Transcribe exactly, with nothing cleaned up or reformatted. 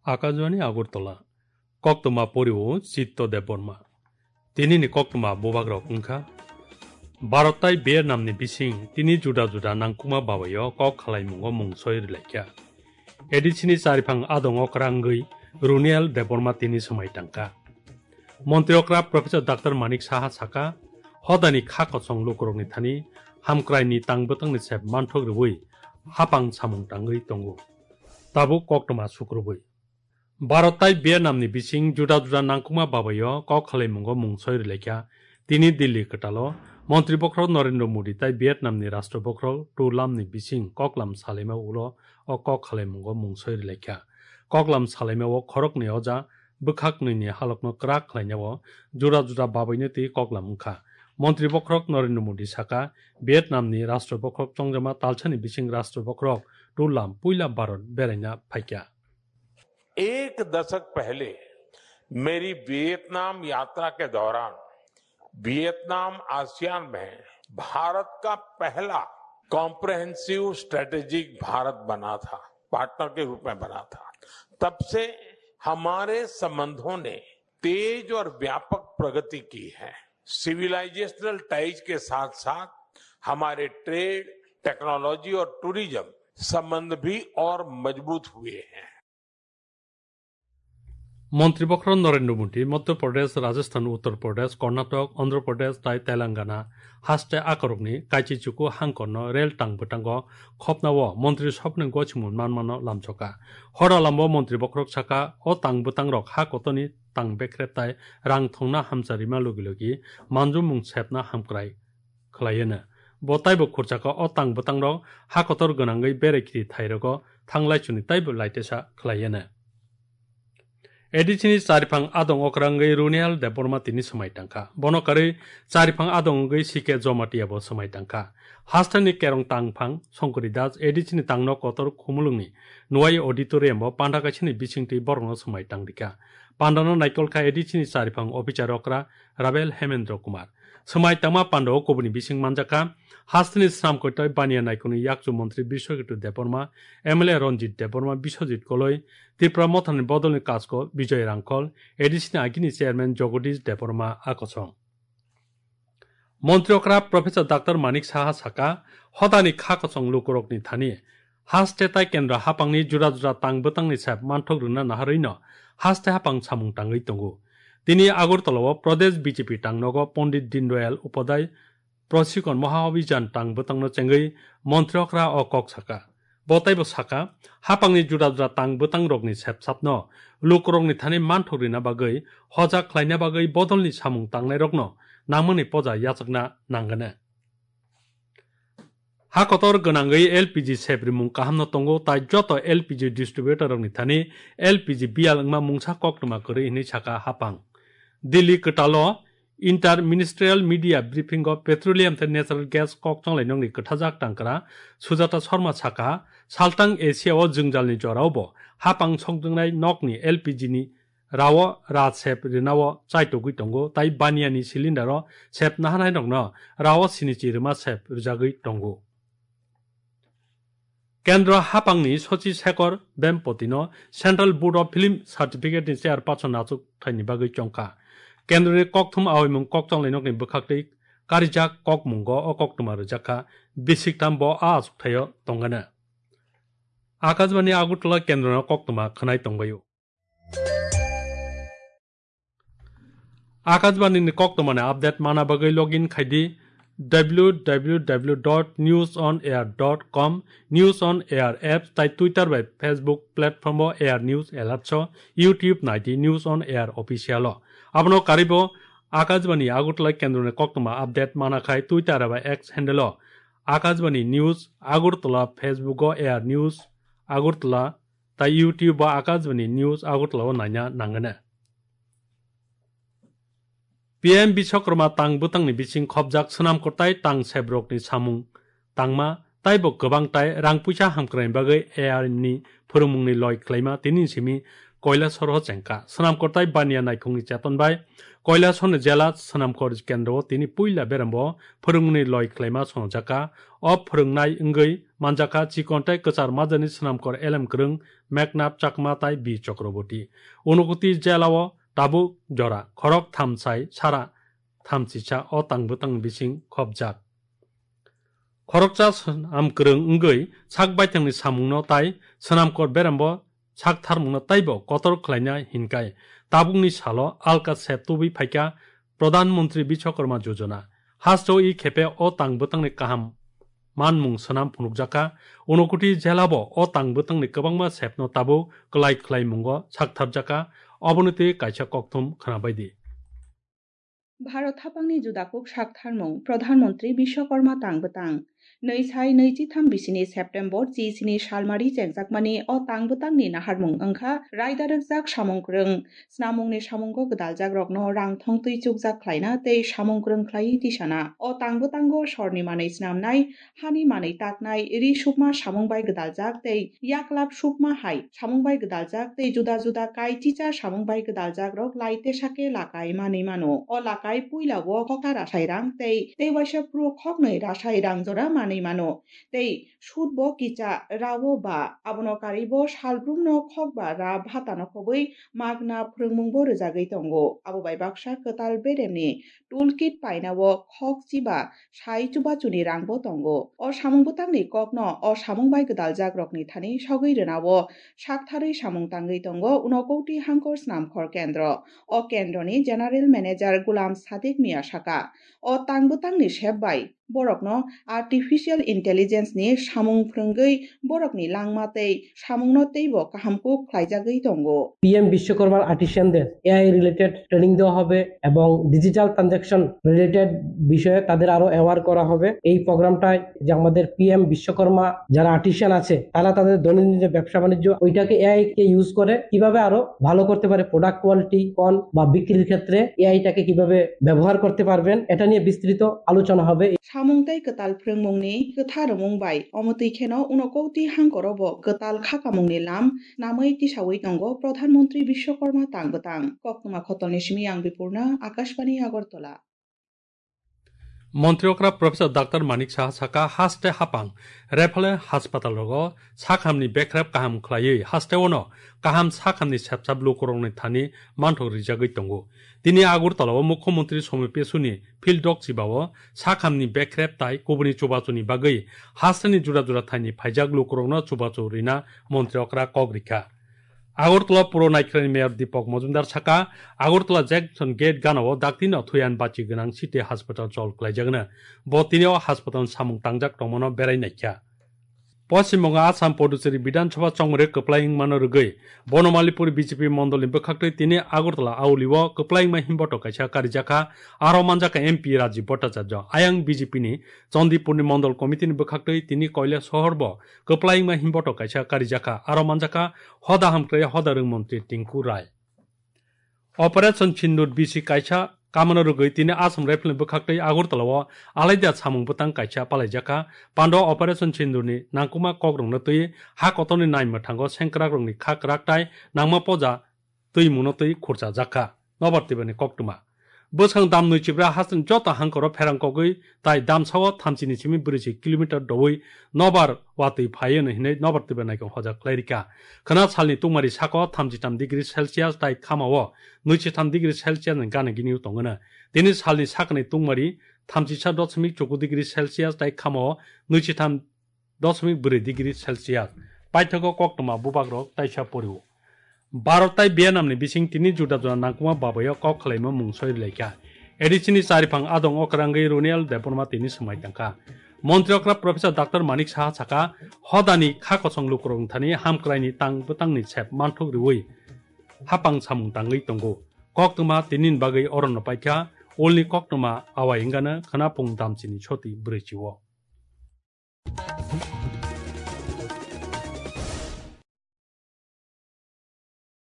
Akajwani Agartala. Koktwma poriwo Chitto Debbarma. Tinini koktwma bubagrok wngkha: Bharat tai Vietnam ni bising tini juda juda nangkukma babaio kok khalaimungo mungsoi rwlaikha. A D C ni chariphang adong okra wngwi Runiel Debbarma tini swmai tangkha. Montri okra Professor Doctor Manik Saha saka, hodani kha kochong lukurokni thani hamkraini tang bwtangni sep manthok rwui hapang samung tangwi tongo. Tabuk koktwma sukrubui. Bharat tai Vietnam ni bising juda juda nangkukma babaio kok khalaimungo mungsoi rwlaikha. Tini Delhi kwtalo Montri bokhorok Narendra Modi tai Vietnam ni Rashtra bokhorok Tu Lam ni bising koklam salaima ulo o kok khalaimungo mungsoi rwlaikha. Koklam salaima o khoroknwi oja bwkhak nwi ni halokno kwrak khlainao juda juda babaino twi koklam wngkha. Montri bokhorok Narendra Modi saka, Vietnam ni Rashtra bokhorok chongjama talsani bising Rashtra bokhorok Tu Lam puila Bharat beraina phaikha. एक दशक पहले मेरी वियतनाम यात्रा के दौरान Vietnam ASEAN में भारत का पहला कॉम्प्रिहेंसिव स्ट्रेटेजिक भारत बना था, पार्टनर के रूप में बना था। तब से हमारे संबंधों ने तेज और व्यापक प्रगति की है। सिविलाइजेशनल टाइज के साथ साथ हमारे ट्रेड, टेक्नोलॉजी और टूरिज्म संबंध भी और मजबूत हुए हैं। Montri bokhorok Narendra Modi Madhya Pradesh, Rajasthan, Uttar Pradesh, Karnataka, Andhra Pradesh tai Telangana haste akorokni kaichi chuku hangkorno rel tang bwtango khopnao montri sopni gochimung manmano lamchoka. Hora lambo montri bokhorok saka, o tang bwtangrok ha kotorni tang bekrep tai rang thongna hamcharima logi logi manjumung sepna hamkrai khlaieno. Bo taibo khurchaka o tang bwtangrok ha kotor gwnangwi berai khiri thairogo thanglai chuni taibo laitesa khlaieno. A D C ni chariphang adong okrangwi Runial Debbarma tini swmai tangkha. Bono karwi chariphang adong wngwi C K Jomatia bo swmai tangkha. Hasteni kerong tangphang Songkori Das A D C ni tangno kotor Khumulwngni Nuai Auditorium o panda kaisani bisingtwi borokno swmai tangdikha. Pandano naikolkha A D C ni chariphang officer okra Rabel Hemendra Kumar. Swmai tangma pandao kubuni bising manjakha, hasteni swnam koitoi baniya naikolni yakchu montri Biswaketu Debbarma, M L A Ranjit Debbarma, Biswajit Koloi, Tipra Mothani bodolni kasko Bijoy Rangkhol, A D C ni agini chairman Jagadish Debbarma akosong. Montri okra Professor Doctor Manik Saha saka, hodani kha kochong lukurokni thani haste tai kendra hapangni juda juda tang bwtangni sep manthok rwna naharwino haste hapang samung tangwi tongo. Tini Agartala o Pradesh B J P tangnogo Pandit Dindayal Upadhyay Prasikon Maha Abhijan tang bwtangno chengwi montri okra o kok saka. Bo taibo saka, hapangni juda juda tang bwtangrokni sepsapno lukurokni thani manthok rina bagwi, hojak khlaina bagwi bodolni samung tangnairokno nangmani poja yachakna nangani. Ha kotor gwnangwi L P G sep rimung kahamno tongo, tai joto L P G distributorrokni thani L P G biyal wngma mungsa koktwma kwrwi hinwi saka hapang. Delhi kwtalo Inter-ministerial media briefing o petroleum tei natural gas kok chonglai nokni kwthajak tangkra Sujata Sharma saka, saltang Asia o jwngjalni jorao bo hapang sokdwngnai nokni L P G ni rao ra sep rinao chaitogwi tongo, tai baniani cylinder o sep naharnai nokno rao sinichi rima sep rwjagwi tongo. Kendro hapangni Sochi Shekhar Vempatino Central Board of Film Certificate ni chairperson achuk thaini bagwi chongkha. Kendroni kokthum aoimung kok chonglai nokni bwkhaktwi karijak kokmungo o koktwma rwjakha, bisiktham bo a achuk thaio tongana. Akashbani Agartala kendrono koktwma khwnai tongbaio. Akashbani ni koktwmani update mana bagwi login khaidi w w w dot news on air dot com, News on Air apps tai Twitter bai Facebook platform o Air News Alerts o, YouTube naidi News on Air official o. Abono karibo Akashbani Agartala kendroni koktwma update mana khai Twitter bai X handle o Akashbani News Agartala, Facebook o Air News Agartala, tai YouTube o Akashbani News Agartala o naina nangani. P M Biswakarma tang bwtangni bising khopjak swnam kwtai tang sebrokni samung tangma taibo kwbang tai rang puisa hamkrai bagwi A R ni phwrwngmungni loi khlaima tini simi Koilashahar o chengkha. Swnamkor tai Baniya naikhungni cheton bai Koilashahar ni jela Swnamkor kendro o tini puila berembo phwrwngmungni loi khlaima songjakha. O phwrwngnai wngwi manjakha chikon tai kwchar majani Swnamkor elem kwrwng Mekhnap Chakma tai B Chakraborty. Unakoti jela o tabuk jora khorok thamsai sara thamchisa o tang bwtang bising khopjak. Khoroksa swnam kwrwng wngwi sak baithangni samungno tai swnamkor berembo sak tharmungno taibo kotor khlaina hinkai tabukni salo alka sep tubui phaikha Pradhan Mantri Bishwakarma Yojana. Hasteo i khepe o tang bwtangni kaham manmung swnam phunukjakha. Unakoti jelabo o tang bwtangni kwbangma sepno tabuk kwlai khlaimungo saktharjakha. Oboni twi kaisa kokthum khwnabaidi. Bharat haphangni juda kuk saktharmung Pradhan Mantri Bishwakarma tang bwtang. Nwi sai nwi chitham bisini September chi sini salmari chengjakmani o tang bwtangni naharmung wngkha raida rwkjak samung kwrwng. Snamungni samungo gwdaljak rokno rang thongtwi chukjak khlaina tei samung kwrwng khlaiwi tisana. O tang bwtango sorni manwi snamnai, hani manwi taknai, ri sukma samung bai gwdaljak tei yaklap sukma hai samung bai gwdaljak tei juda juda kai chicha samung bai gwdaljak rok lai tesake lakai manwi mano. O lakai puila o khoksa rasai rang tei tei waisa phuru khoknwi rasai rang jora manwi mano. Tei sud bo kicha ra o ba abono karwi bo salbrumno khok ba ra bhatano khobwi magna phwrwngmung bo rwjagwi tongo. Abo bai baksa kwtal beremni toolkit paina o khok chiba sai chubachuni rang bo tongo. O samung bwtangni kokno o samung bai gwdaljak rokni thani sogwi rwna o saktharwi samung tangwi tongo Unakoti Hangkor Snamkhor Kendro. O kendroni General Manager Gulam Sadiq Mia saka, o tang bwtangni sep bai borokno Artificial Intelligence ni samung phwrwngwi borokni langma tei samungno teibo kaham kuk khlaijagwi tongo। PM বিশ্বকর্মার আর্টিসানদের AI related training দেওয়া হবে এবং digital transaction related বিষয়ে তাদের আরো অ্যাওয়ার করা হবে। এই প্রোগ্রামটায় যে আমাদের পিএম বিশ্বকর্মা যারা আর্টিসান আছে, তারা তাদের দৈনন্দিন যে ব্যবসা বাণিজ্য, ওইটাকে এআই কে ইউজ করে কিভাবে আরো ভালো করতে পারে, প্রোডাক্ট কোয়ালিটি কোন বা বিক্রির ক্ষেত্রে এআইটাকে কিভাবে ব্যবহার করতে পারবেন, এটা নিয়ে বিস্তৃত আলোচনা হবে। Samung tei kwtal phrwngmungni kwtha rwmung bai omo twi kheno Unakoti Hangkoro bo kwtal khakamungni lam namwi tisawi tongo Pradhan Mantri Bishwakarma tang bwtang. Koktwma khotolni simi ang Bipurna, Akashbani Agartala. Montri okra Professor Doctor Manik Saha saka, haste hapang referral hospital rogo sakhamni bekrep kaham khlaiwi haste ono kaham sakhamni sepsap lukurokni thani manthok rijagwi tongo. Tini Agartala o Mukhyamantri Somoy Pesuni field dok chiba o sakhamni bekrep tai kubuni chubachuni bagwi hasteni jura jura thaini phaijak lukurokno chubachu rina montri okra kok rikha. Agartala Puro Naikhwrani Mayor Deepak Majumdar saka, Agartala Junction Gate gana o daktino thuyan bachi gwnang city hospital chol klaijagna. Bo tini o hospital samung tangjak tongmano berai naikha. Poschim Bongo Assam Puducherry Bidhan Sabha chongmore kwplai wngmano rwgwi Bonomalipur B J P mondolni bwkhaktwi tini Agartala Auli o kwplai wngma himboto kaisa karijakha, aro manjakha M P Rajiv Bhattacharya. Ayang B J P ni Chandipurni Mondol Committee ni bwkhaktwi tini Koilashahar bo kwplai wngma himboto kaisa karijakha, aro manjakha hoda hamkrai hoda rwng montri Tinku Rai. Operation Sindoor bisi kaisa kamano rwgwi tini Assam Rifle ni bwkhaktwi Agartala o alaida samung bwtang kaisa palaijakha. Pando Operation Sindoor ni nangkukma kokrokno twi ha kotorni nai mwthango sengkrakrokni kha kwrak tai nangma poja twi muno twi khurchajakha. Nobar Tibani koktwma. Bwskang dam nwi chibra hasteni joto hangkoro pherang kogwi tai damsao thamchini simi brwichi kilometer doui nobar watwi phaiwi hinwi nobar twiba naikong hoja khlai rikha. Khwna salni tungmari sako thamchi tam degree Celsius tai khamao nwichi tham degree Celsius ni gana gini tongo. Tini salni sakni tungmari thamchi sa dosmik chuku degree Celsius tai khamao nwichi tham dosmik brwi degree Celsius. Paithago koktwma bubagrok taisa porio. Bharat tai Vietnam ni bising tini juda juda nangkukma babayo kok khwlaima mung soi rwlaikha. A D C ni chariphang adong okrangwi Runiel Debbarma tini swmai tangkha. Montri okra Professor Doctor Manik Saha saka, hodani kha kosong lukurok thani hamkraini tang bwtangni sep manthok riwi hapang samung tangwi tongo. Koktwma tinin bagwi orono paikha, ulni koktwma awai wngano khwna pung damchini soti brwichi o.